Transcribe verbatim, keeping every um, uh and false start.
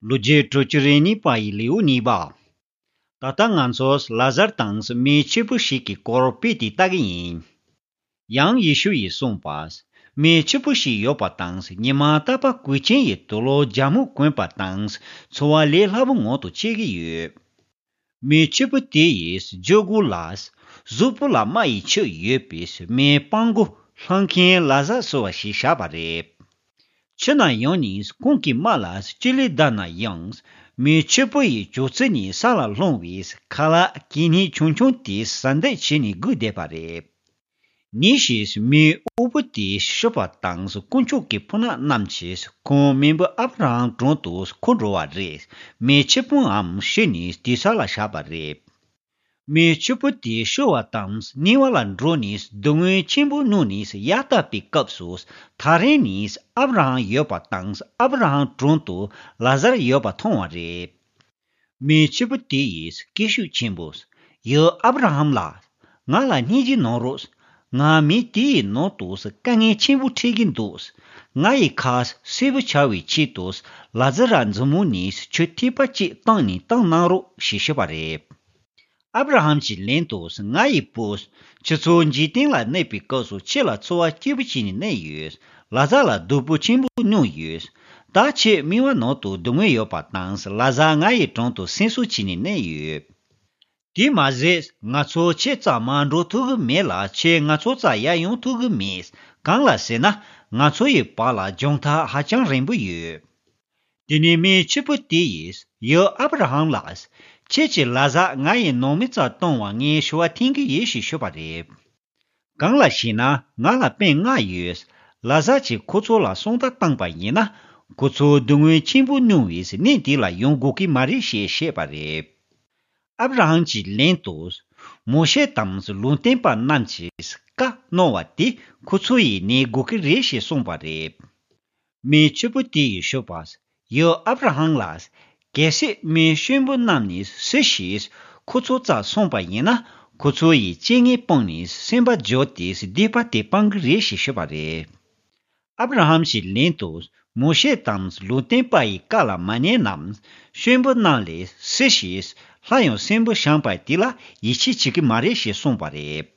ལོ་རྒྱུས་དྲུག་ཅུ་རེ་གཉིས་པ་ཡི་ལེའུ་གཉིས་པ། ད་ལྟ་ང་ཚོས་ལ་ཟར་དང་མི་ཕྱུག་པོ་ཞིག་གི་སྐོར་དཔེ་དེ་ལྟ་གི་ཡིན། ཡང་ཡེ་ཤུ་ཡིས་གསུངས་པ། མི་ཕྱུག་པོ་ཞིག་ཡོད་པ་དང་ཉི་མ་རྟག་པར་གོས་ཆེན་ཡི་དུག་ལོག་རྒྱ་སྨུག་གོན་པ་དང་འཚོ་བ་ལས་སླ་པོ་ངང་དུ་སྐྱེལ་གི་ཡོད། མི་ཕྱུག་པོ་དེ་ཡིས་ཇོ་གུ་ལ། གཟུགས་པོ་ལ་རྨ་ཡི་ཆུ་ཡོད་པའི་མི་སྤྲང་པོ་ལྷ་མཁན་ལ་ཟར་ཟེར་བ་ཞིག་བཞག་པ་རེད། ཕྱི་ནས་ཡོང་ནས་ཁོང་གི་རྨ་ལ་ལྕེ་ལེ་བརྡབས་ན་ཡང་། མི་ཕྱུག་པོ་ཡི་ཅོག་ཙེ་ནས་ས་ལ་ལྷུང་བའི་ཁ་ལག་གད་སྙིགས་ཆུང་ཆུང་དེ་ཟ་འདོད་བྱས་ནས་སྒུག་བསྡད་པ་རེད། ཉིན་ཞིག་མི་དབུལ་པོ་དེ་ཤི་བ་དང་དཀོན་མཆོག་གི་ཕོ་ཉ་རྣམས་ཀྱིས་ཁོང་མེས་པོ་ཨབ་ར་ཧམ་དྲུང་དུ་འཁོར་འགྲོ་བ་རེད། མི་ཕྱུག་པོའང་ཤི་ནས་དེ་ས་ལ་བཞག་པ་རེད། མི་ཕྱུག་པོ་དེ་ཤི་བ་དང་གཉིད་པ་ལ་འགྲོ་ནས་སྡུག་བསྔལ་ཆེན་པོ་མྱོང་ནས་ཡར་བལྟས་པའི་སྐབས་སུ་ཐག་རིང་ནས་ཨབ་ར་ཧམ་ཡོད་པ་དང་ཨབ་ར་ཧམ་དྲུང་དུ་ལ་ཟར་ཡོད་པ་མཐོང་བ་རེད། མི་ཕྱུག་པོ་དེ་ཡིས་སྐད་ཤུགས་ཆེན་པོས། ཡ་ཨབ་ར་ཧམ་ལགས། ང་ལ་སྙིང་རྗེ་གནང་རོགས། ང་མི་དེའི་ནང་དུ་དཀའ་ངལ་ཆེན་པོ་འཕྲད་ཀྱི་འདུག་ང་ཡི་ཁ་སེར་པོ་ཆགས་པའི་ཆེད་དུ་ལ་ཟར་མཛུབ་མོ་ནས་ཆུ་ཐིགས་པ་གཅིག་བཏང་ནས་བཏང་གནང་རོགས་ཞེས་ཞུས་པ་རེད། ཨབ་ར་ཧམ་གྱིས་ལན་དུ། ང་ཡི་བུ། ཁྱེད་ཚོ་འཇིག་རྟེན་ལ་གནས་པའི་སྐབས་སུ་ཁྱེད་ལ་འཚོ་བ་སྐྱིད་པོ་བྱས་ནས་གནས་ཡོད། ལ་ཟར་ལ་སྡུག་པོ་ཆེན་པོ་མྱོང་ཡོད། ད་ཁྱེད་མེས་པོའི་ནང་དུ་སྡུག་བསྔལ་ཡོད་པ་དང་ལ་ཟར་ང་ཡི་དྲུང་དུ་སེམས་གསོ་བྱས་ནས་གནས་ཡོད། དེ་མ་ཟད་ང་ཚོ་ཁྱེད་རྩར་མར་འགྲོ་ཐུབ་ཀྱི་མེད་ལ་ཁྱེད་ང་ཚོ་རྩར་ཡར་ཡོང་ཐུབ་ཀྱི་མེད། གང་ལ་ཟེར་ན་ང་ཚོ་ཡི་བར་ལ་རྒྱང་ཐག་ཧ་ཅང་རིང་པོ་ཡོད། དེ་ནས་མི་ཕྱུག་པོ་དེ་ཡིས། ཡ་ཨབ་ར་ཧམ་ལགས། ཁྱེད་ཀྱིས་ལ་ཟར་ང་ཡི་ནང་མི་རྩར་གཏོང་བར་ངས་ཞུ་བ་འཐེན་གྱི་ཡིན་ཞེས་ཞུས་པ་རེད། གང་ལ་ཞེ་ན་ང་ལ་སྤུན་ལྔ་ཡོད། ལ་ཟར་གྱིས་ཁོ་ཚོ་ལ་སོང་ད་བཏང་པ་ཡིན་ན་ཁོ་ཚོ་སྡུག་བསྔལ་ཆེན་པོ་མྱོང་བའི་གནས་འདི་ལ་ཡོང་དགོས་ཀྱི་མ་རེད་ཞེས་བཤད་པ་རེད། ཨབ་ར་ཧམ་གྱིས་ལན་དུ། མོ་ཤེ་དང་ལུང་སྟོན་པ་རྣམས་ཀྱིས་བཀའ་གནང་བ་དེ་ཁོ་ཚོ་ཡིས་ཉན་དགོས་ཀྱི་རེད་ཞེས་གསུངས་པ་རེད། མི་ཕྱུག་པོ་དེ་ཡིས་ཞུས་པ། ཡ་ཨབ་ར་ཧམ་ལགས། གལ་སྲིད་མི་གཤིན་པོ་རྣམས་ནི་སུ་ཞིག་ཁོ་ཚོ་རྩར་སོང་པ་ཡིན་ན་ཁོ་ཚོ་ཡིས་སྤྱན་གཉིས་སྤངས་ནས་སེམས་པ་འགྱུར་ཏེ་སྡིག་པ་དེ་སྤང་གི་རེད་ཞེས་ཞུས་པ་རེད། ཨབ་ར་ཧམ་གྱིས་ལན་དུ། མོ་ཤེ་དང་ལུང་སྟོན་པ་ཡི་བཀའ་ལ་མ་ཉན་ནམ། གཤིན་པོ་རྣམས་ལས་སུ་ཞིག་སླར་ཡང་གསོན་པོར་བཞེངས་པ་དེ་ལ་ཡིད་ཆེས་བྱེད་ཀྱི་མ་རེད་ཞེས་གསུངས་པ་རེད།